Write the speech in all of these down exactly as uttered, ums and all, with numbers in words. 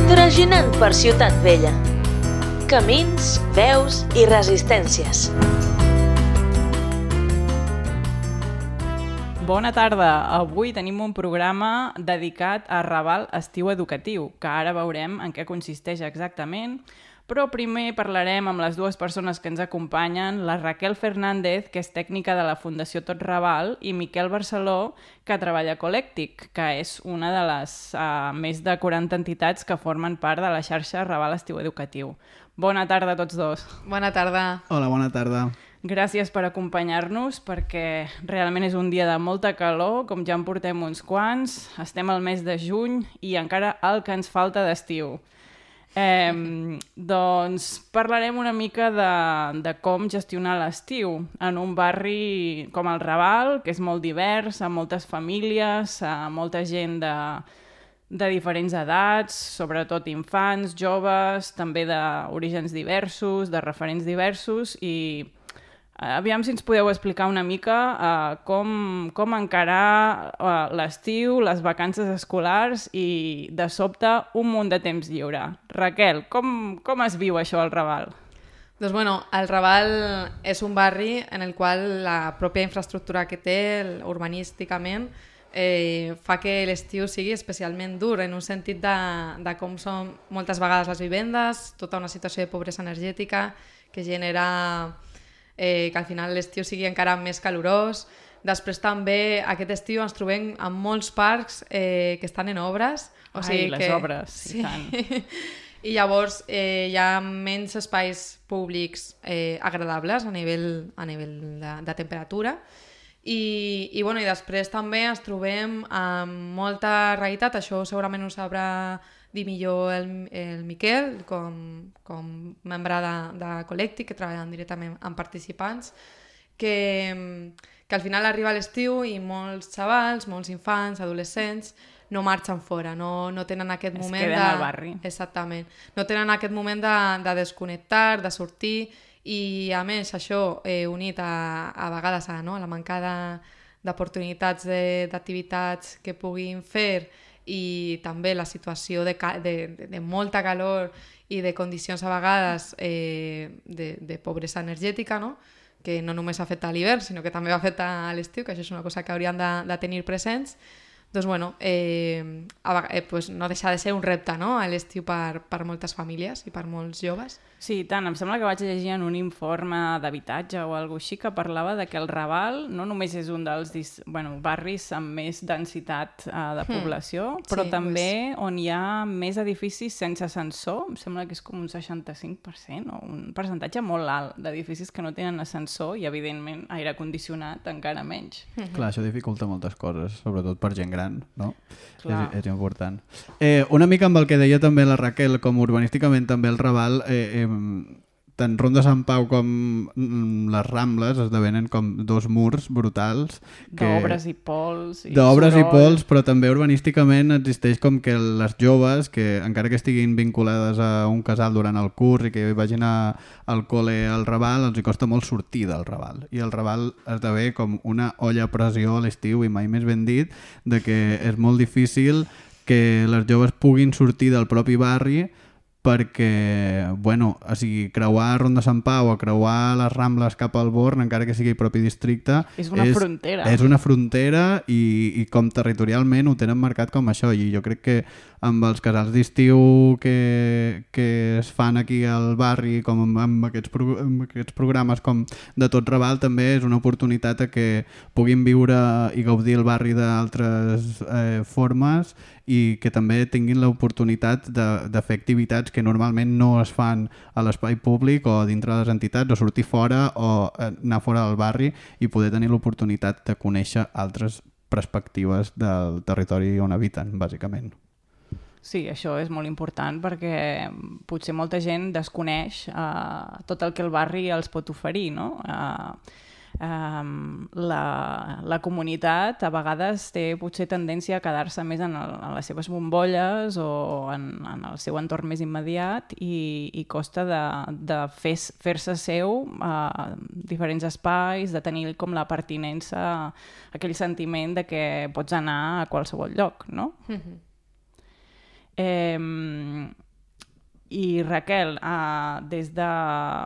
Traginant per Ciutat Vella. Camins, veus i resistències. Bona tarda. Avui tenim un programa dedicat a Raval Estiu Educatiu, que ara veurem en què consisteix exactament, però primer parlarem amb les dues persones que ens acompanyen, la Raquel Fernández, que és tècnica de la Fundació Tot Raval, i Miquel Barceló, que treballa a Colèctic, que és una de les uh, més de quaranta entitats que formen part de la xarxa Raval Estiu Educatiu. Bona tarda a tots dos. Bona tarda. Hola, bona tarda. Gràcies per acompanyar-nos, perquè realment és un dia de molta calor, com ja en portem uns quants, estem al mes de juny i encara el que ens falta d'estiu. Eh, doncs parlarem una mica de, de com gestionar l'estiu en un barri com el Raval, que és molt divers, amb moltes famílies, amb molta gent de, de diferents edats, sobretot infants, joves, també d'orígens diversos, de referents diversos, i aviam si ens podeu explicar una mica uh, com, com encarar uh, l'estiu, les vacances escolars i, de sobte, un munt de temps lliure. Raquel, com, com es viu això al Raval? Doncs bueno, el Raval és un barri en el qual la pròpia infraestructura que té, urbanísticament, eh, fa que l'estiu sigui especialment dur, en un sentit de, de com són moltes vegades les vivendes, tota una situació de pobresa energètica que genera Eh, que al final l'estiu sigui encara més calorós. Després també aquest estiu ens trobem amb molts parcs eh, que estan en obres. O Ai, sigui les que... obres, sí. i tant. I llavors eh, hi ha menys espais públics eh, agradables a nivell, a nivell de, de temperatura. I, i, bueno, i després també ens trobem amb molta realitat, això segurament ho sabrà dir millor el, el Miquel, com, com membre de, de Colèctic, que treballen directament amb participants, que, que al final arriba l'estiu i molts xavals, molts infants, adolescents, no marxen fora, no, no tenen aquest es moment queden de... al barri. Exactament. No tenen aquest moment de, de desconnectar, de sortir, i a més això eh, unit a, a vegades a, no, a la manca d'oportunitats d'activitats que puguin fer, i també la situació de, de, de, de molta calor i de condicions a vegades eh, de, de pobresa energètica, no? Que no només afecta a l'hivern, sinó que també afecta a l'estiu, que això és una cosa que hauríem de, de tenir presents. Doncs bueno, eh, eh, pues no deixa de ser un repte, no? A l'estiu per, per moltes famílies i per molts joves. Sí, tant. Em sembla que vaig llegir en un informe d'habitatge o alguna cosa així que parlava de que el Raval no només és un dels bueno, barris amb més densitat uh, de població, mm. però sí, també pues... on hi ha més edificis sense ascensor. Em sembla que és com un seixanta-cinc per cent o un percentatge molt alt d'edificis que no tenen ascensor i, evidentment, aire condicionat encara menys. Mm-hmm. Clar, això dificulta moltes coses, sobretot per gent gran, no? Clar. És, és important. Eh, una mica amb el que deia també la Raquel, com urbanísticament també el Raval, eh, eh, tant Ronda Sant Pau com les Rambles esdevenen com dos murs brutals. D'obres i pols. D'obres i pols, però també urbanísticament existeix com que les joves, que encara que estiguin vinculades a un casal durant el curs i que vagin a, al col·le al Raval, els hi costa molt sortir del Raval. I el Raval esdevé com una olla a pressió a l'estiu, i mai més ben dit, de que és molt difícil que les joves puguin sortir del propi barri perquè, bueno, o sigui, creuar Ronda Sant Pau o creuar les Rambles cap al Born, encara que sigui propi districte... És una és, frontera. És una frontera i, i com territorialment ho tenen marcat com això. I jo crec que amb els casals d'estiu que, que es fan aquí al barri, com amb, amb, aquests pro, amb aquests programes com de Tot Raval, també és una oportunitat a que puguin viure i gaudir el barri d'altres eh, formes, i que també tinguin l'oportunitat de, de fer activitats que normalment no es fan a l'espai públic o dintre de les entitats, o sortir fora o anar fora del barri i poder tenir l'oportunitat de conèixer altres perspectives del territori on habiten, bàsicament. Sí, això és molt important perquè potser molta gent desconeix uh, tot el que el barri els pot oferir, no? Uh, Um, la, la comunitat a vegades té potser tendència a quedar-se més en, el, en les seves bombolles o en, en el seu entorn més immediat i, i costa de, de fer, fer-se seu a diferents espais, de tenir com la pertinença, aquell sentiment de que pots anar a qualsevol lloc, no? Mm-hmm. Eh, I Raquel, uh, des de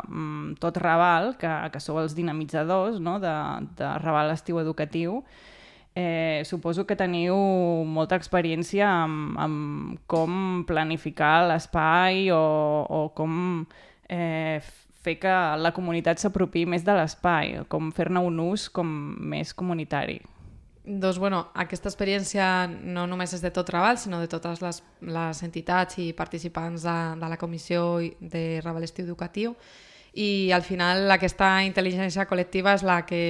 um, tot Raval, que, que sou els dinamitzadors, no? de, de Raval Estiu Educatiu, eh, suposo que teniu molta experiència amb, amb com planificar l'espai o, o com eh, fer que la comunitat s'apropi més de l'espai, com fer-ne un ús com més comunitari. Doncs, bueno, aquesta experiència no només és de tot Raval, sinó de totes les, les entitats i participants de, de la comissió de Raval Estiu Educatiu, i al final aquesta intel·ligència col·lectiva és la que,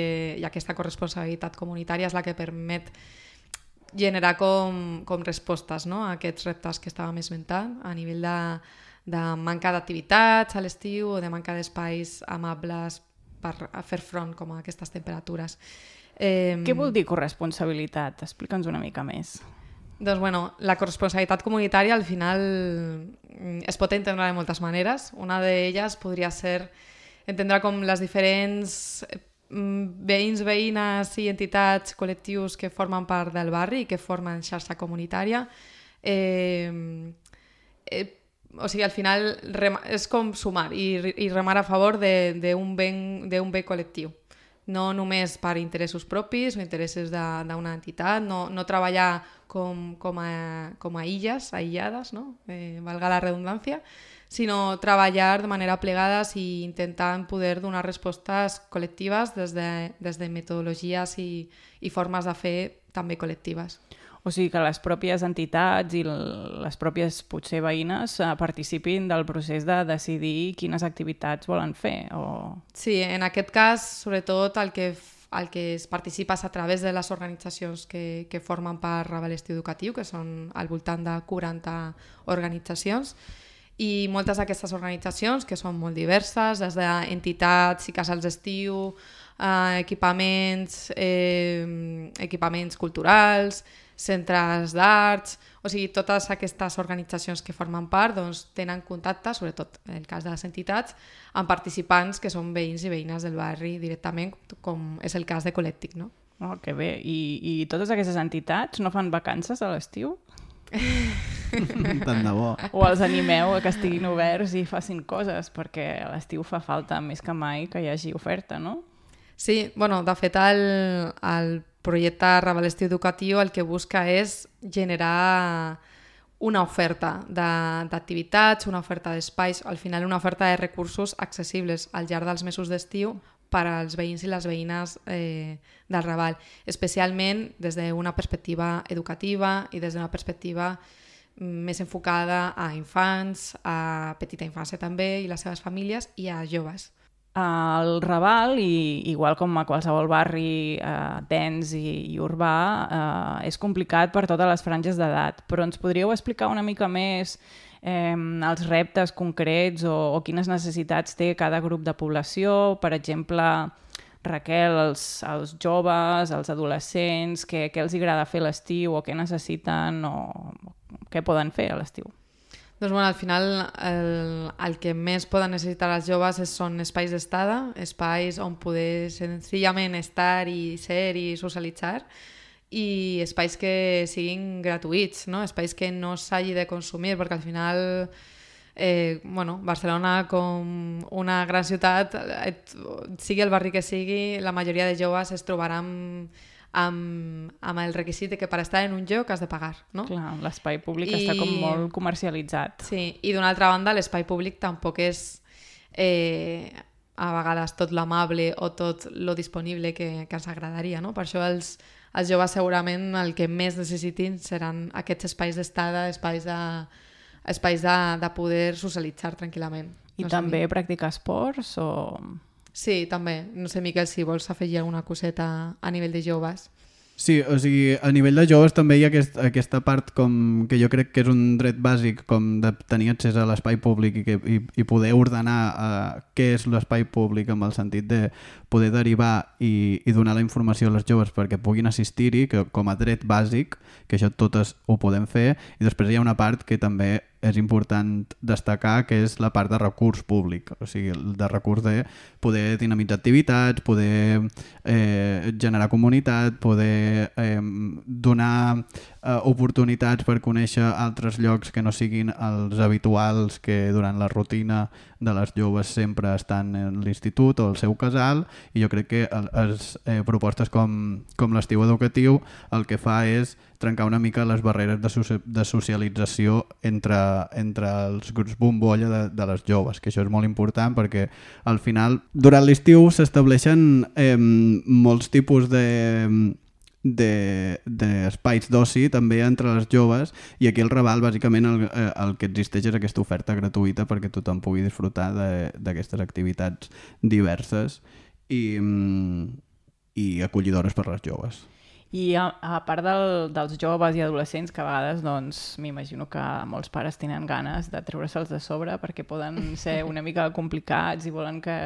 i aquesta corresponsabilitat comunitària és la que permet generar com, com respostes, no?, a aquests reptes que estàvem esmentant a nivell de, de manca d'activitats a l'estiu o de manca d'espais amables per fer front com a aquestes temperatures. Eh, Què vol dir corresponsabilitat? Explica'ns una mica més. Doncs, bueno, la corresponsabilitat comunitària al final es pot entendre de moltes maneres. Una d'elles podria ser entendre com les diferents veïns, veïnes i entitats, col·lectius que formen part del barri i que formen xarxa comunitària. Eh, eh, o sigui, al final és com sumar i, i remar a favor d'un bé, d'un bé col·lectiu. No només per interessos propis o interessos d'una entitat, no, no treballar com, com, a, com a illes, aïllades, no? eh, valga la redundància, sinó treballar de manera plegades i intentant poder donar respostes col·lectives des de, des de metodologies i, i formes de fer també col·lectives. O sigui que les pròpies entitats i les pròpies, potser, veïnes eh, participin del procés de decidir quines activitats volen fer. O... Sí, en aquest cas, sobretot, el que, el que es participa és a través de les organitzacions que, que formen part Raval Estiu Educatiu, que són al voltant de quaranta organitzacions, i moltes d'aquestes organitzacions, que són molt diverses, des d'entitats i casals d'estiu, eh, equipaments, eh, equipaments culturals, centres d'arts, o sigui, totes aquestes organitzacions que formen part doncs, tenen contacte, sobretot en el cas de les entitats, amb participants que són veïns i veïnes del barri directament, com és el cas de Col·lèctic, no? Oh, que bé. I, I totes aquestes entitats no fan vacances a l'estiu? Tant de bo. O els animeu a que estiguin oberts i facin coses, perquè a l'estiu fa falta més que mai que hi hagi oferta, no? Sí, bueno, de fet el, el projecte Raval Estiu Educatiu el que busca és generar una oferta d'activitats, una oferta d'espais, al final una oferta de recursos accessibles al llarg dels mesos d'estiu per als veïns i les veïnes eh, del Raval, especialment des d'una perspectiva educativa i des d'una perspectiva més enfocada a infants, a petita infància també i les seves famílies i a joves. Al Raval, i, igual com a qualsevol barri eh, dens i, i urbà, eh, és complicat per totes les franges d'edat, però ens podríeu explicar una mica més eh, els reptes concrets o, o quines necessitats té cada grup de població? Per exemple, Raquel, els, els joves, els adolescents, què, què els agrada fer a l'estiu o què necessiten o què poden fer a l'estiu? Doncs, bueno, al final el, el que més poden necessitar els joves és, són espais d'estada, espais on poder senzillament estar i ser i socialitzar, i espais que siguin gratuïts, no? Espais que no s'hagi de consumir, perquè al final eh, bueno, Barcelona, com una gran ciutat, et, sigui el barri que sigui, la majoria de joves es trobaran Amb, amb el requisit de que per estar en un lloc has de pagar, no? Clar, l'espai públic I... està com molt comercialitzat. Sí, i d'una altra banda l'espai públic tampoc és eh, a vegades tot l'amable o tot lo disponible que, que ens agradaria, no? Per això els, els joves segurament el que més necessitin seran aquests espais d'estada, espais de, espais de, de poder socialitzar tranquil·lament. I no també practicar esports o... Sí, també. No sé, Miquel, si vols afegir alguna coseta a nivell de joves. Sí, o sigui, a nivell de joves també hi ha aquest, aquesta part com que jo crec que és un dret bàsic com de tenir accés a l'espai públic i, que, i, i poder ordenar uh, què és l'espai públic amb el sentit de poder derivar i, i donar la informació als joves perquè puguin assistir-hi com a dret bàsic, que això totes ho podem fer, i després hi ha una part que també és important destacar, que és la part de recurs públic, o sigui, de recurs de poder dinamitzar activitats, poder eh, generar comunitat, poder eh, donar eh, oportunitats per conèixer altres llocs que no siguin els habituals que durant la rutina de les joves sempre estan en l'institut o el seu casal, i jo crec que les eh, propostes com, com l'estiu educatiu el que fa és trencar una mica les barreres de, so- de socialització entre, entre els grups bombolla de, de les joves, que això és molt important perquè al final durant l'estiu s'estableixen eh, molts tipus de d'espais d'oci també entre les joves, i aquí el Raval bàsicament el, el que existeix és aquesta oferta gratuïta perquè tothom pugui disfrutar d'aquestes activitats diverses i, i acollidores per les joves. I a, a part del, dels joves i adolescents, que a vegades doncs, m'imagino que molts pares tenen ganes de treure-se'ls de sobre perquè poden ser una mica complicats i volen que,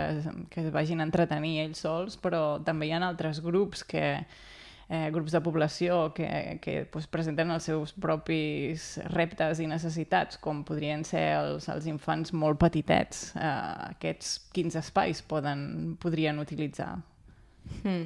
que es vagin a entretenir ells sols, però també hi ha altres grups que Eh, grups de població que, que pues, presenten els seus propis reptes i necessitats, com podrien ser els, els infants molt petitets. Eh, aquests quins espais poden, podrien utilitzar? Mm.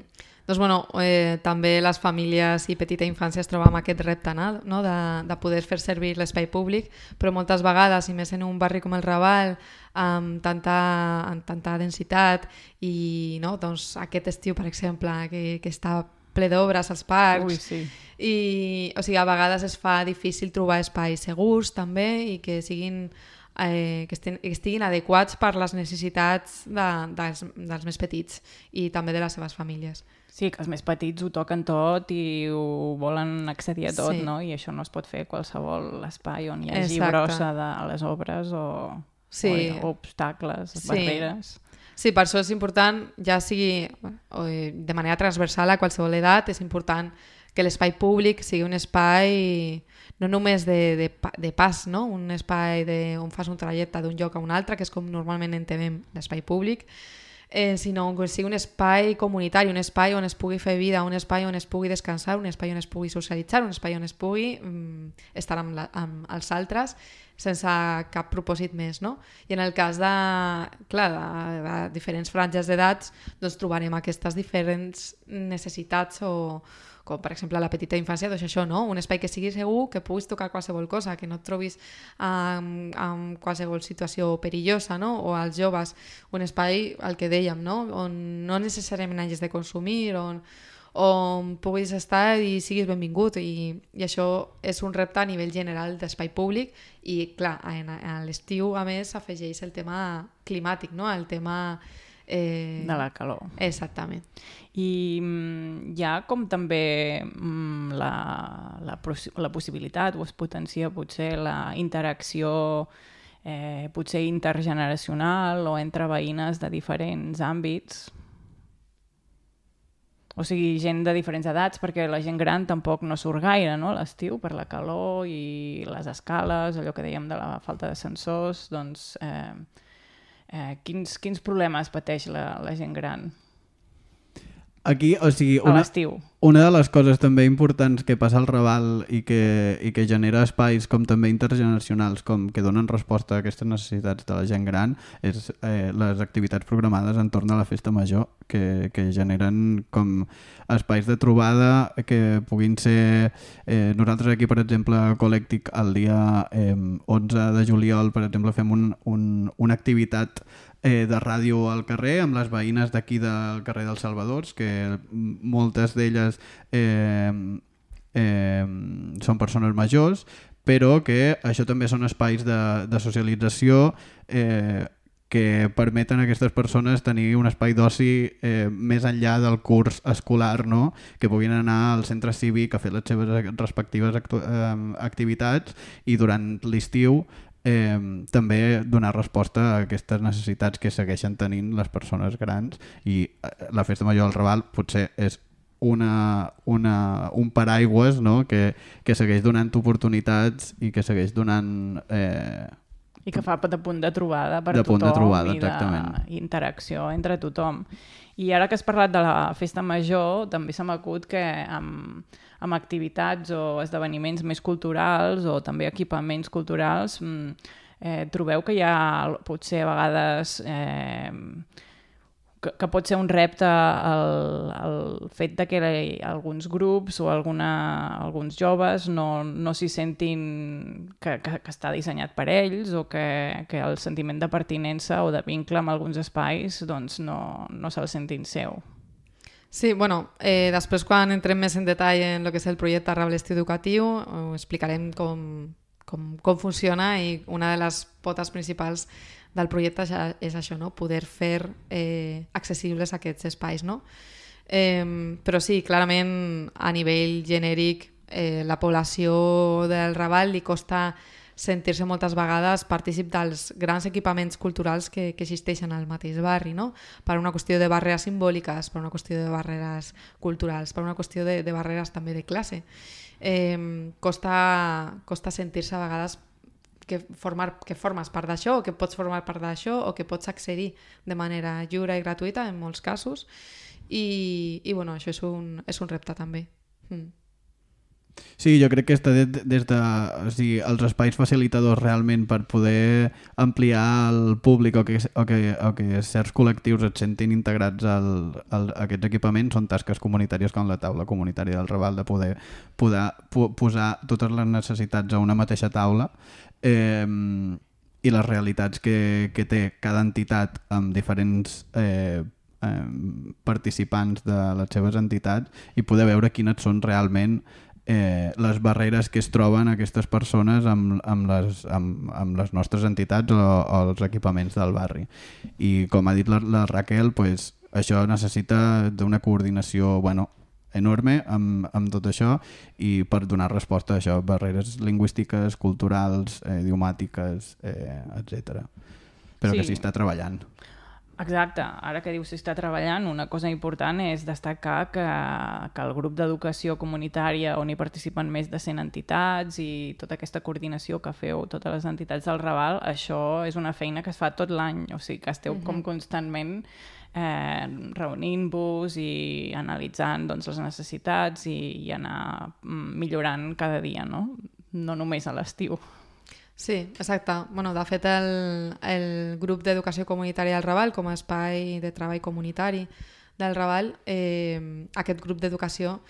Doncs bueno, eh, també les famílies i petita infància es troben amb aquest repte, no? de, de poder fer servir l'espai públic, però moltes vegades, i més en un barri com el Raval, amb tanta, amb tanta densitat, i no? doncs, aquest estiu, per exemple, que, que està ple d'obres als parcs. Ui, sí. I, o sigui, a vegades es fa difícil trobar espais segurs també i que siguin eh, que, estiguin, que estiguin adequats per les necessitats de, dels, dels més petits i també de les seves famílies. Sí, que els més petits ho toquen tot i ho volen accedir a tot, Sí. no? I això no es pot fer a qualsevol espai on hi hagi Exacte. brossa de les obres o, Sí. o, o obstacles, Sí. barreres. Sí, per això és important, ja sigui de manera transversal a qualsevol edat, és important que l'espai públic sigui un espai no només de, de, de pas, no? Un espai de, on fas un trajecte d'un lloc a un altre, que és com normalment entenem l'espai públic, eh, sinó que sigui un espai comunitari, un espai on es pugui fer vida, un espai on es pugui descansar, un espai on es pugui socialitzar, un espai on es pugui mm, estar amb, la, amb els altres sense cap propòsit més, no? I en el cas de, clar, de, de diferents franges d'edats, doncs trobarem aquestes diferents necessitats o, com per exemple a la petita infància, doncs això, no? Un espai que sigui segur, que puguis tocar qualsevol cosa, que no et trobis en, en qualsevol situació perillosa, no? O als joves, un espai, el que dèiem, no? On no necessàriament hagis de consumir, on on puguis estar i siguis benvingut, i, i això és un repte a nivell general d'espai públic, i clar, en, a l'estiu a més s'afegeix el tema climàtic, no? El tema eh... De la calor. Exactament. I mm, hi ha com també mm, la, la, la possibilitat, o es potencia potser la interacció eh, potser intergeneracional o entre veïnes de diferents àmbits. O sigui, gent de diferents edats, perquè la gent gran tampoc no surt gaire, no?, a l'estiu, per la calor i les escales, allò que dèiem de la falta d'ascensors, doncs eh, eh, quins, quins problemes pateix la, la gent gran Aquí, o sigui, a una, l'estiu? una de les coses també importants que passa al Raval i que, i que genera espais com també intergeneracionals, com que donen resposta a aquestes necessitats de la gent gran, és eh, les activitats programades entorn a la festa major, que, que generen com espais de trobada que puguin ser... Eh, nosaltres aquí, per exemple, a Colèctic, el dia eh, onze de juliol, per exemple, fem un, un, una activitat Eh, de ràdio al carrer amb les veïnes d'aquí del carrer dels Salvadors, que moltes d'elles eh, eh, són persones majors, però que això també són espais de, de socialització eh, que permeten a aquestes persones tenir un espai d'oci eh, més enllà del curs escolar, no? Que puguin anar al centre cívic a fer les seves respectives actu- eh, activitats, i durant l'estiu Eh, també donar resposta a aquestes necessitats que segueixen tenint les persones grans, i la festa major del Raval potser és una, una, un paraigües, no?, que, que segueix donant oportunitats i que segueix donant eh, I que fa de punt de trobada per de tothom punt de trobada, i d'interacció entre tothom. I ara que has parlat de la festa major, també se m'acut que amb, amb activitats o esdeveniments més culturals o també equipaments culturals eh, trobeu que hi ha potser a vegades eh, que, que pot ser un repte el, el fet de que alguns grups o alguna, alguns joves no, no s'hi sentin que, que, que està dissenyat per ells o que, que el sentiment de pertinença o de vincle amb alguns espais doncs no, no se'l sentin seu. Sí, bueno, eh, després quan entrem més en detall en el que és el projecte Arrabal Estiu Educatiu ho explicarem com, com, com funciona i una de les potes principals del projecte ja és això, no? Poder fer eh, accessibles aquests espais. No? Eh, però sí, clarament a nivell genèric eh, la població del Raval li costa sentir-se moltes vegades partícip dels grans equipaments culturals que, que existeixen al mateix barri, no? Per una qüestió de barreres simbòliques, per una qüestió de barreres culturals, per una qüestió de, de barreres també de classe. Eh, costa, costa sentir-se a vegades que, formar, que formes part d'això o que pots formar part d'això o que pots accedir de manera lliure i gratuïta en molts casos i, i bueno, això és un, és un repte també. Mm. Sí, jo crec que està des, des de o sigui, els espais facilitadors realment per poder ampliar el públic o que, o que, o que certs col·lectius et sentin integrats al, al, a aquests equipaments són tasques comunitàries com la taula comunitària del Raval, de poder, poder po, posar totes les necessitats a una mateixa taula eh, i les realitats que, que té cada entitat amb diferents eh, eh, participants de les seves entitats i poder veure quines són realment Eh, les barreres que es troben aquestes persones amb, amb, les, amb, amb les nostres entitats o, o els equipaments del barri. I com ha dit la, la Raquel, pues, això necessita d'una coordinació bueno, enorme amb, amb tot això i per donar resposta a això, barreres lingüístiques, culturals, eh, idiomàtiques, eh, etcètera. Però sí. Que s'hi està treballant. Exacte, ara que dius si està treballant, una cosa important és destacar que, que el grup d'educació comunitària on hi participen més de cent entitats i tota aquesta coordinació que feu totes les entitats del Raval, això és una feina que es fa tot l'any, o sigui que esteu uh-huh. com constantment eh, reunint-vos i analitzant doncs, les necessitats i, i anar millorant cada dia, no? No només a l'estiu. Sí, exacte. Bueno, de fet, el, el grup d'educació comunitària del Raval, com a espai de treball comunitari del Raval, eh, aquest grup d'educació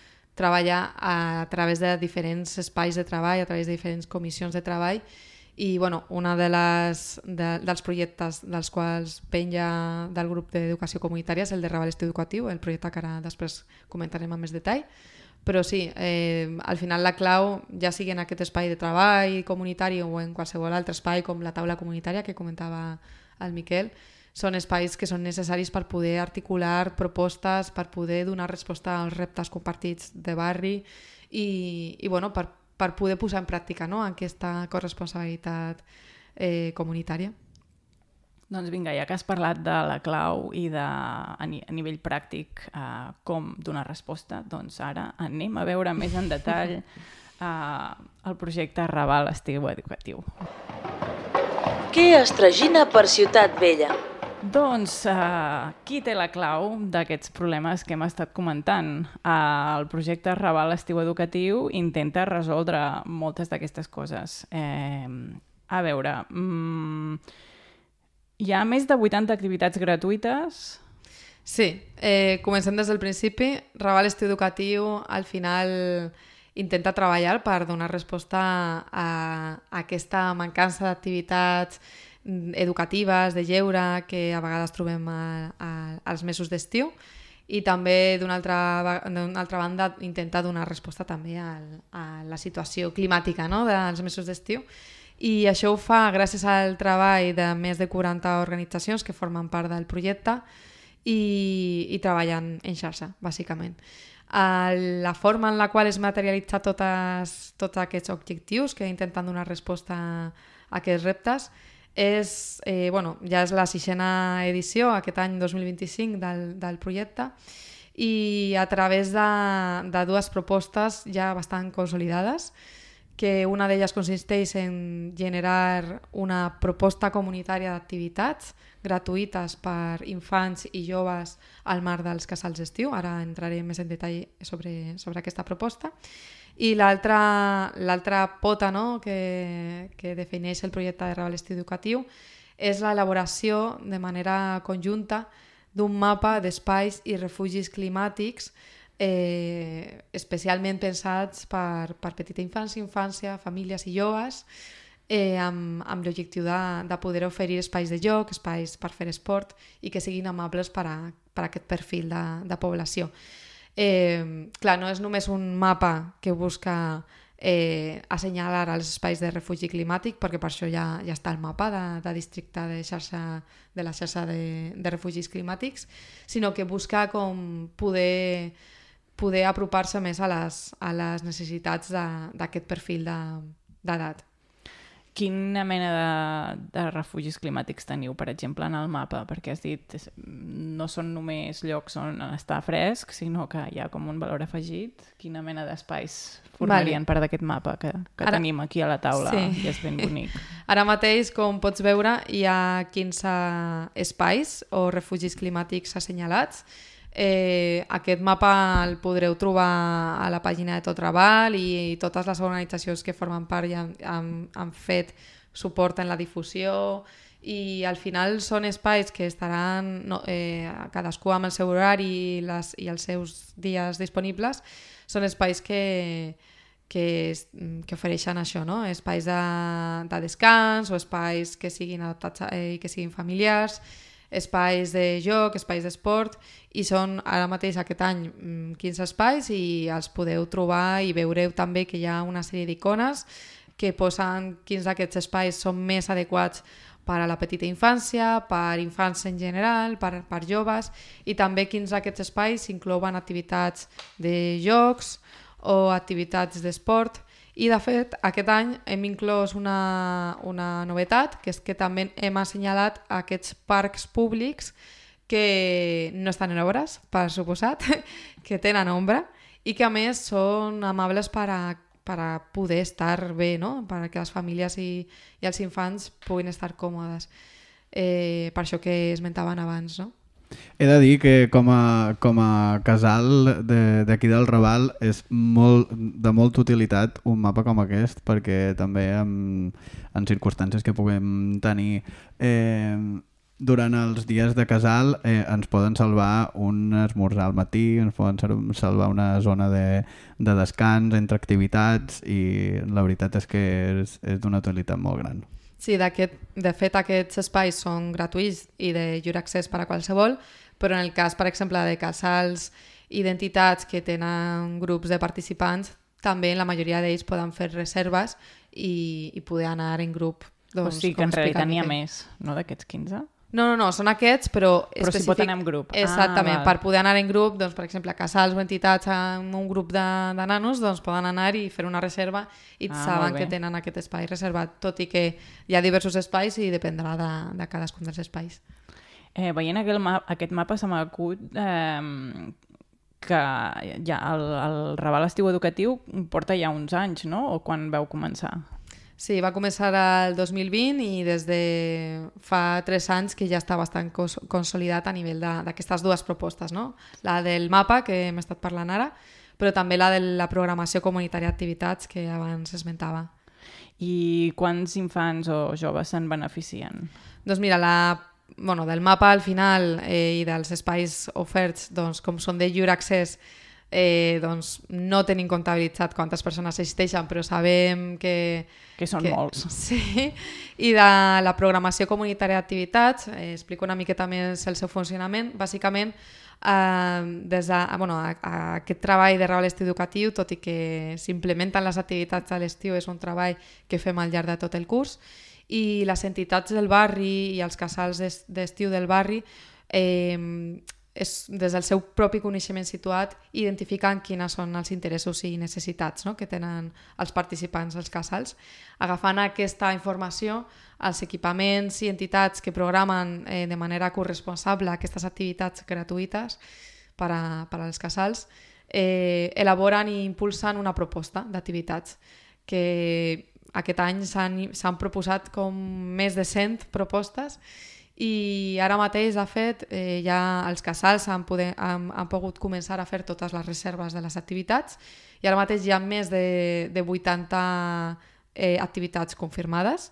treballa a través de diferents espais de treball, a través de diferents comissions de treball i bueno, una de les, de, dels projectes dels quals penja del grup d'educació comunitària és el de Raval Estiu Educatiu, el projecte que ara després comentarem amb més detall. Però sí, eh, al final la clau, ja sigui en aquest espai de treball comunitari o en qualsevol altre espai com la taula comunitària que comentava el Miquel, són espais que són necessaris per poder articular propostes, per poder donar resposta als reptes compartits de barri i, i bueno, per, per poder posar en pràctica no, aquesta corresponsabilitat eh, comunitària. Doncs vinga, ja que has parlat de la clau i de, a, ni, a nivell pràctic eh, com donar resposta, doncs ara anem a veure més en detall eh, el projecte Arrabal Estiu Educatiu. Què es tragina per Ciutat Vella? Doncs eh, qui té la clau d'aquests problemes que hem estat comentant? Eh, el projecte Arrabal Estiu Educatiu intenta resoldre moltes d'aquestes coses. Eh, a veure... Mm, Hi ha més de vuitanta activitats gratuïtes? Sí, eh, comencem des del principi. Raval Estiu Educatiu al final intenta treballar per donar resposta a, a aquesta mancança d'activitats educatives, de lleure, que a vegades trobem a, a, als mesos d'estiu i també d'una altra, d'una altra banda intenta donar resposta també a, a la situació climàtica no? dels mesos d'estiu. I això ho fa gràcies al treball de més de quaranta organitzacions que formen part del projecte i, i treballen en xarxa, bàsicament. La forma en la qual es materialitza totes, tots aquests objectius que intenten donar resposta a aquests reptes és, eh, bueno, ja és la sisena edició, aquest any dos mil vint-i-cinc del, del projecte i a través de, de dues propostes ja bastant consolidades que una d'elles consisteix en generar una proposta comunitària d'activitats gratuïtes per infants i joves al marc dels casals d'estiu. Ara entraré més en detall sobre, sobre aquesta proposta. I l'altra pota, no?, que, que defineix el projecte de Raval Estiu Educatiu és l'elaboració de manera conjunta d'un mapa d'espais i refugis climàtics eh, especialment pensats per, per petita infància, infància, famílies i joves, eh, amb, amb l'objectiu de, de poder oferir espais de joc, espais per fer esport i que siguin amables per a, per a aquest perfil de, de població. Eh, clar, no és només un mapa que busca eh, assenyalar els espais de refugi climàtic, perquè per això ja, ja està el mapa de, de districte de, xarxa, de la xarxa de, de refugis climàtics, sinó que busca com poder, poder apropar-se més a les, a les necessitats d'aquest perfil d'edat. Quina mena de, de refugis climàtics teniu, per exemple, en el mapa? Perquè has dit, no són només llocs on està fresc, sinó que hi ha com un valor afegit. Quina mena d'espais formarien vale. part d'aquest mapa que, que Ara... tenim aquí a la taula? Sí. I és ben bonic. Ara mateix, com pots veure, hi ha quinze espais o refugis climàtics assenyalats. Eh, aquest mapa el podreu trobar a la pàgina de Tot Raval i totes les organitzacions que formen part ja han, han, han fet suport en la difusió i al final són espais que estaran no, eh, cadascú amb el seu horari i, les, i els seus dies disponibles. Són espais que, que, que ofereixen això, no? Espais de, de descans o espais que siguin adaptats i eh, que siguin familiars, espais de joc, espais d'esport, i són ara mateix aquest any quinze espais i els podeu trobar i veureu també que hi ha una sèrie d'icones que posen quins d'aquests espais són més adequats per a la petita infància, per infants en general, per, per joves, i també quins d'aquests espais inclouen activitats de jocs o activitats d'esport. I, de fet, aquest any hem inclòs una, una novetat, que és que també hem assenyalat aquests parcs públics que no estan en obres, per suposat, que tenen ombra i que, a més, són amables per a, per a poder estar bé, no? Perquè les famílies i, i els infants puguin estar còmodes. Eh, per això que esmentaven abans, no? He de dir que com a, com a casal d'aquí de, del Raval és molt, de molta utilitat un mapa com aquest, perquè també en, en circumstàncies que puguem tenir eh, durant els dies de casal eh, ens poden salvar un esmorzar al matí, ens poden salvar una zona de, de descans entre activitats i la veritat és que és, és d'una utilitat molt gran. Sí, de fet aquests espais són gratuïts i de lliure accés per a qualsevol, però en el cas, per exemple, de casals i d'entitats que tenen grups de participants, també la majoria d'ells poden fer reserves i, i poder anar en grup. Doncs, o sigui que en realitat n'hi ha més, no, d'aquests quinze? No, no, no, són aquests, però... Però específic... si pot anar en grup. Exactament, ah, per poder anar en grup, doncs, per exemple, casals o entitats amb un grup de, de nanos, doncs poden anar i fer una reserva i ah, saben que tenen aquest espai reservat, tot i que hi ha diversos espais i dependrà de, de cadascun dels espais. Eh, veient aquest, ma aquest mapa se m'acut eh, que ja el, el Raval Estiu Educatiu porta ja uns anys, no? O quan vau començar? Sí, va començar el dos mil vint i des de fa tres anys que ja està bastant cons consolidat a nivell d'aquestes dues propostes, no? La del mapa, que hem estat parlant ara, però també la de la programació comunitària d'activitats que abans esmentava. I quants infants o joves se'n beneficien? Doncs mira, la, bueno, del mapa al final eh, i dels espais oferts, doncs, com són de lliure accés, Eh, doncs no tenim comptabilitzat quantes persones assisteixen, però sabem que... Que són que, molts. Sí, i de la programació comunitària d'activitats, eh, explico una miqueta més el seu funcionament. Bàsicament, eh, des de, bueno, a, a aquest treball de Raval Estiu Educatiu, tot i que s'implementen les activitats a l'estiu, és un treball que fem al llarg de tot el curs, i les entitats del barri i els casals d'estiu del barri eh, és, des del seu propi coneixement situat, identificant quines són els interessos i necessitats, no?, que tenen els participants als casals. Agafant aquesta informació, els equipaments i entitats que programen eh, de manera corresponsable aquestes activitats gratuïtes per, a, per als casals eh, elaboren i impulsen una proposta d'activitats que aquest any s'han proposat com més de cent propostes i ara mateix, de fet, eh, ja els casals han, poder, han, han pogut començar a fer totes les reserves de les activitats i ara mateix hi ha més de, de vuitanta eh, activitats confirmades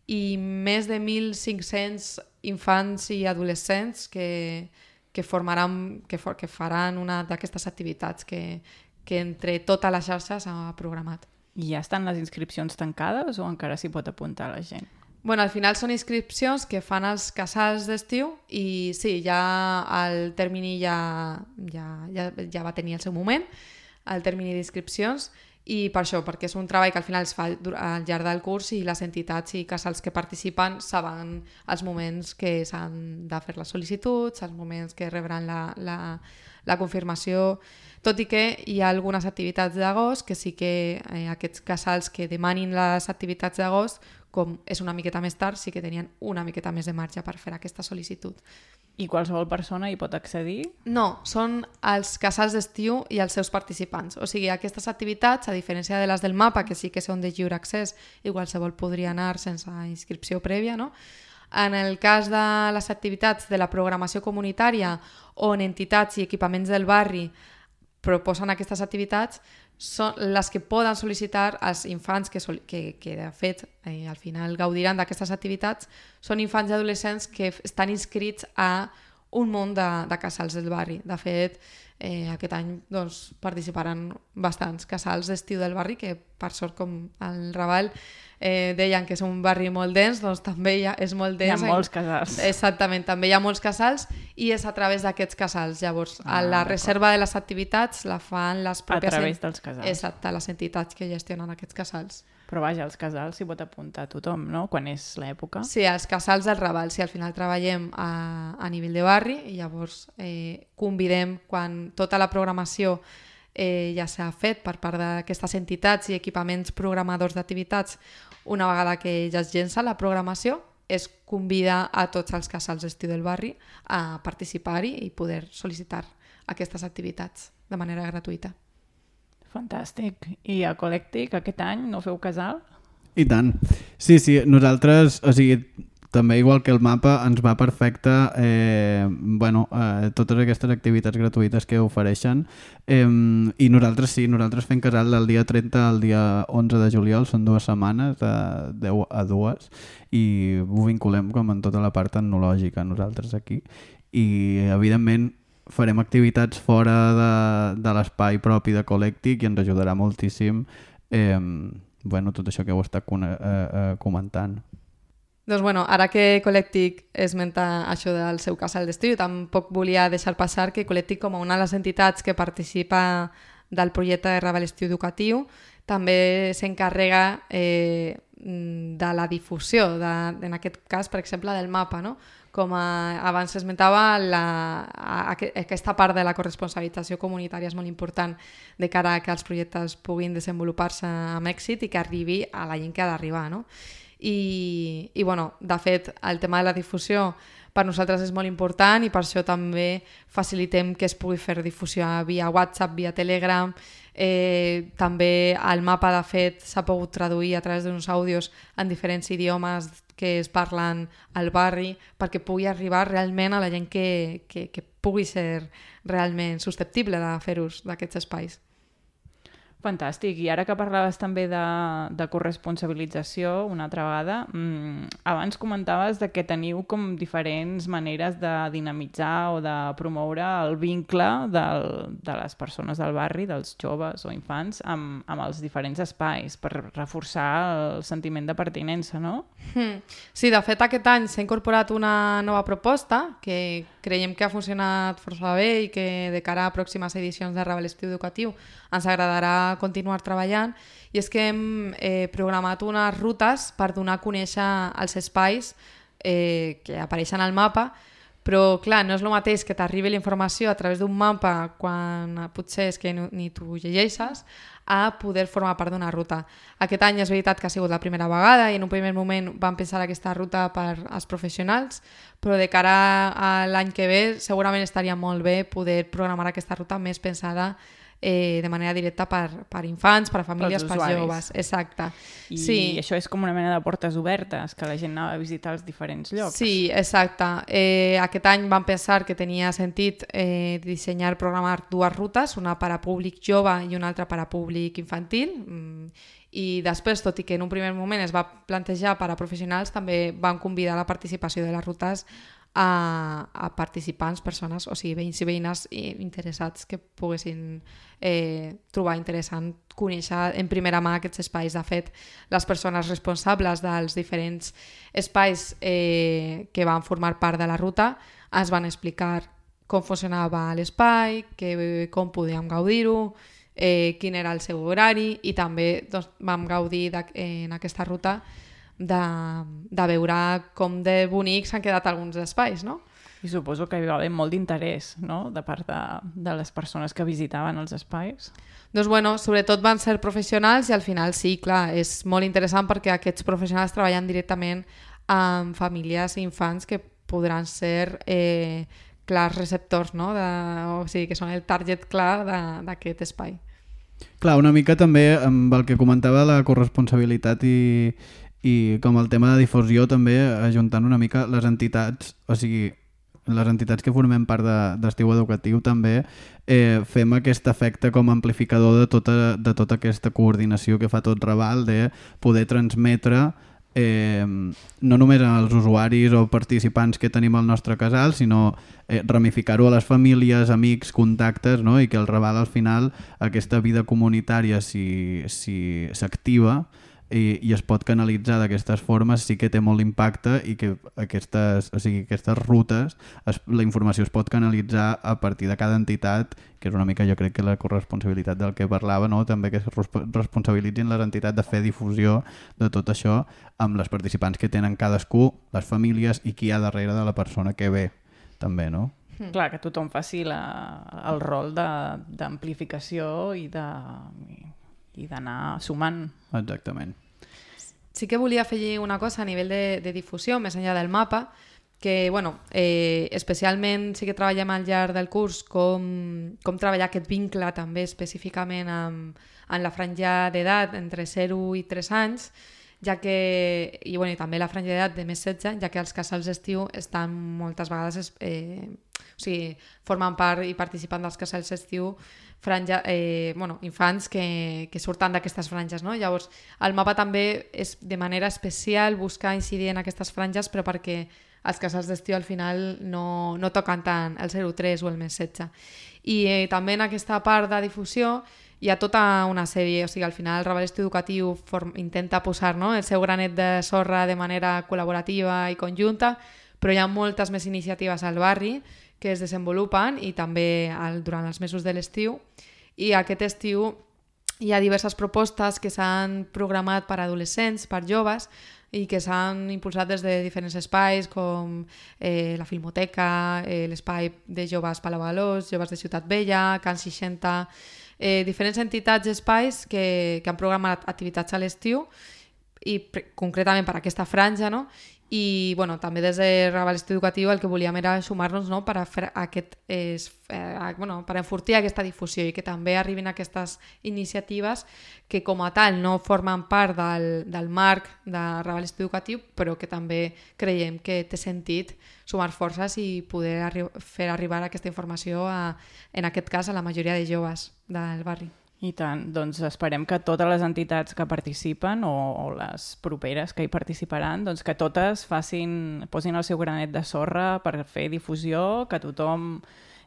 i més de mil cinc-cents infants i adolescents que, que, formaran, que, for, que faran una d'aquestes activitats que, que entre tota la xarxa s'ha programat. I ja estan les inscripcions tancades o encara s'hi pot apuntar la gent? Bueno, al final són inscripcions que fan els casals d'estiu i sí, ja el termini ja, ja, ja, ja va tenir el seu moment, el termini d'inscripcions, i per això, perquè és un treball que al final es fa al llarg del curs i les entitats i casals que participen saben els moments que s'han de fer les sol·licituds, els moments que rebran la, la, la confirmació, tot i que hi ha algunes activitats d'agost que sí que eh, aquests casals que demanin les activitats d'agost, com és una miqueta més tard, sí que tenien una miqueta més de marge per fer aquesta sol·licitud. I qualsevol persona hi pot accedir? No, són els casals d'estiu i els seus participants. O sigui, aquestes activitats, a diferència de les del mapa, que sí que són de lliure accés i qualsevol podria anar sense inscripció prèvia, no? En el cas de les activitats de la programació comunitària on entitats i equipaments del barri proposen aquestes activitats, són les que poden sol·licitar els infants que, que, que de fet, eh, al final gaudiran d'aquestes activitats, són infants i adolescents que estan inscrits a un munt de, de casals del barri. De fet, eh, aquest any doncs, participaran bastants casals d'estiu del barri, que per sort, com el Raval eh, deien que és un barri molt dens, doncs també hi ha, és molt dens. Hi ha molts casals. Exactament, també hi ha molts casals i és a través d'aquests casals. Llavors, ah, la reserva de les activitats la fan les pròpies... A través dels casals. Exacte, les entitats que gestionen aquests casals. Però vaja, als casals s'hi pot apuntar tothom, no?, quan és l'època. Sí, als casals del Raval, si sí, al final treballem a, a nivell de barri i llavors eh, convidem quan tota la programació eh, ja s'ha fet per part d'aquestes entitats i equipaments programadors d'activitats, una vegada que ja es llença la programació, es convida a tots els casals d'estiu del barri a participar-hi i poder sol·licitar aquestes activitats de manera gratuïta. Fantàstic. I a Ecolèctic aquest any no feu casal? I tant. Sí, sí, nosaltres, o sigui, també igual que el mapa, ens va perfecte eh, bueno, eh, totes aquestes activitats gratuïtes que ofereixen eh, i nosaltres sí, nosaltres fem casal del dia trenta al dia onze de juliol, són dues setmanes de deu a dues i ho vinculem com en tota la part tecnològica nosaltres aquí i evidentment farem activitats fora de, de l'espai propi de Ecolèctic i ens ajudarà moltíssim eh, bueno, tot això que heu estat eh, eh, comentant. Doncs bueno, ara que Ecolèctic esmenta això del seu casal d'estiu, tampoc volia deixar passar que Ecolèctic, com a una de les entitats que participa del projecte de Raval Estiu Educatiu, també s'encarrega eh, de la difusió, de, en aquest cas, per exemple, del mapa, no? Com a, abans s'esmentava, la, a, a, aquesta part de la corresponsabilització comunitària és molt important de cara a que els projectes puguin desenvolupar-se amb èxit i que arribi a la gent que ha d'arribar, no? I, i bueno, de fet, el tema de la difusió per nosaltres és molt important i per això també facilitem que es pugui fer difusió via WhatsApp, via Telegram. Eh, també el mapa, de fet, s'ha pogut traduir a través d'uns àudios en diferents idiomes que es parlen al barri perquè pugui arribar realment a la gent que, que, que pugui ser realment susceptible de fer ús d'aquests espais. Fantàstic. I ara que parlaves també de, de corresponsabilització una altra vegada, mmm, abans comentaves de que teniu com diferents maneres de dinamitzar o de promoure el vincle del, de les persones del barri, dels joves o infants, amb, amb els diferents espais per reforçar el sentiment de pertinença, no? Mm. Sí, de fet aquest any s'ha incorporat una nova proposta que creiem que ha funcionat força bé i que de cara a pròximes edicions de Raval Estiu Educatiu ens agradarà continuar treballant, i és que hem eh, programat unes rutes per donar a conèixer els espais eh, que apareixen al mapa, però clar, no és el mateix que t'arribi la informació a través d'un mapa quan potser és que no, ni tu llegeixes, a poder formar part d'una ruta. Aquest any és veritat que ha sigut la primera vegada i en un primer moment vam pensar aquesta ruta per als professionals, però de cara a l'any que ve segurament estaria molt bé poder programar aquesta ruta més pensada eh, de manera directa per, per infants, per a famílies, per joves. Exacte. I sí. això és com una mena de portes obertes, que la gent anava a visitar els diferents llocs. Sí, exacte. Eh, aquest any vam pensar que tenia sentit eh, dissenyar, programar dues rutes, una per a públic jove i una altra per a públic infantil. Mm, i després, tot i que en un primer moment es va plantejar per a professionals, també van convidar la participació de les rutes a, a participants, persones, o sigui, veïns i veïnes interessats que poguessin eh, trobar interessant conèixer en primera mà aquests espais. De fet, les persones responsables dels diferents espais eh, que van formar part de la ruta ens van explicar com funcionava l'espai, que, com podíem gaudir-ho, eh, quin era el seu horari, i també doncs, vam gaudir en aquesta ruta de, de veure com de bonics s'han quedat alguns espais, no? I suposo que hi va haver molt d'interès, no?, de part de, de les persones que visitaven els espais. Doncs, bueno, sobretot van ser professionals i al final sí, clar, és molt interessant perquè aquests professionals treballen directament amb famílies i infants que podran ser eh, clars receptors, no?, de, o sigui, que són el target clar d'aquest espai. Clar, una mica també amb el que comentava la corresponsabilitat i, i com el tema de difusió, també ajuntant una mica les entitats, o sigui, les entitats que formem part d'Estiu Educatiu també eh, fem aquest efecte com a amplificador de tota, de tota aquesta coordinació que fa tot Raval, de poder transmetre eh, no només als usuaris o participants que tenim al nostre casal, sinó eh, ramificar-ho a les famílies, amics, contactes, no? I que el Raval al final, aquesta vida comunitària, si, si s'activa i, i es pot canalitzar d'aquestes formes, sí que té molt impacte i que aquestes, o sigui, aquestes rutes, es, la informació es pot canalitzar a partir de cada entitat, que és una mica jo crec que la corresponsabilitat del que parlava, no? També que es responsabilitzin les entitats de fer difusió de tot això amb les participants que tenen cadascú, les famílies i qui hi ha darrere de la persona que ve també, no? Mm. Clar, que tothom faci la, el rol d'amplificació i de... i d'anar sumant. Exactament. Sí que volia afegir una cosa a nivell de, de difusió, més enllà del mapa, que bueno, eh, especialment sí que treballem al llarg del curs com, com treballar aquest vincle també específicament amb, amb la franja d'edat entre zero i tres anys, ja que, i, bueno, i també la franja d'edat de més setze, ja que els casals d'estiu estan moltes vegades, eh, o sigui, formen part i participen dels casals d'estiu franja, eh, bueno, infants que, que surten d'aquestes franges, no? Llavors, el mapa també és de manera especial buscar incidir en aquestes franges, però perquè els casals d'estiu al final no, no toquen tant el zero tres o el més setze. I eh, també en aquesta part de difusió hi ha tota una sèrie, o sigui, al final el Raval Estiu Educatiu form, intenta posar, no?, el seu granet de sorra de manera col·laborativa i conjunta, però hi ha moltes més iniciatives al barri que es desenvolupen i també al, durant els mesos de l'estiu. I aquest estiu hi ha diverses propostes que s'han programat per a adolescents, per joves, i que s'han impulsat des de diferents espais com eh, la Filmoteca, eh, l'espai de joves Palau-Valós, joves de Ciutat Vella, Can seixanta, eh, diferents entitats i espais que, que han programat activitats a l'estiu i concretament per aquesta franja, no? I bueno, també des de Raval Estiu Educatiu el que volíem era sumar-nos, no?, per a fer aquest, és, eh, bueno, per enfortir aquesta difusió i que també arribin aquestes iniciatives que com a tal no formen part del, del marc de Raval Estiu Educatiu, però que també creiem que té sentit sumar forces i poder arri fer arribar aquesta informació a, en aquest cas, a la majoria de joves del barri. I tant, doncs esperem que totes les entitats que participen o, o les properes que hi participaran, doncs que totes facin, posin el seu granet de sorra per fer difusió, que tothom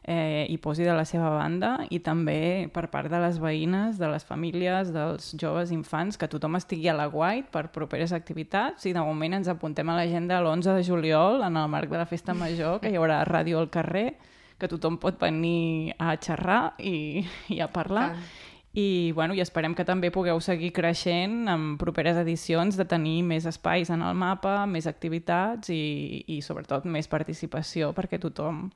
eh, hi posi de la seva banda i també per part de les veïnes, de les famílies, dels joves infants, que tothom estigui a l'aguait per properes activitats i de moment ens apuntem a l'agenda l'onze de juliol en el marc de la Festa Major, que hi haurà ràdio al carrer, que tothom pot venir a xerrar i, i a parlar. Tant. I, bueno, i esperem que també pugueu seguir creixent en properes edicions de tenir més espais en el mapa, més activitats i, i sobretot més participació perquè tothom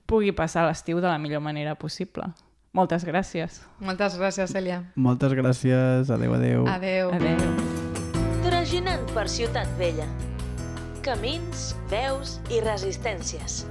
pugui passar l'estiu de la millor manera possible. Moltes gràcies. Moltes gràcies, Cèlia. Moltes gràcies. Adéu, adéu. Adéu. Adéu. Traginant per Ciutat Vella. Camins, veus i resistències.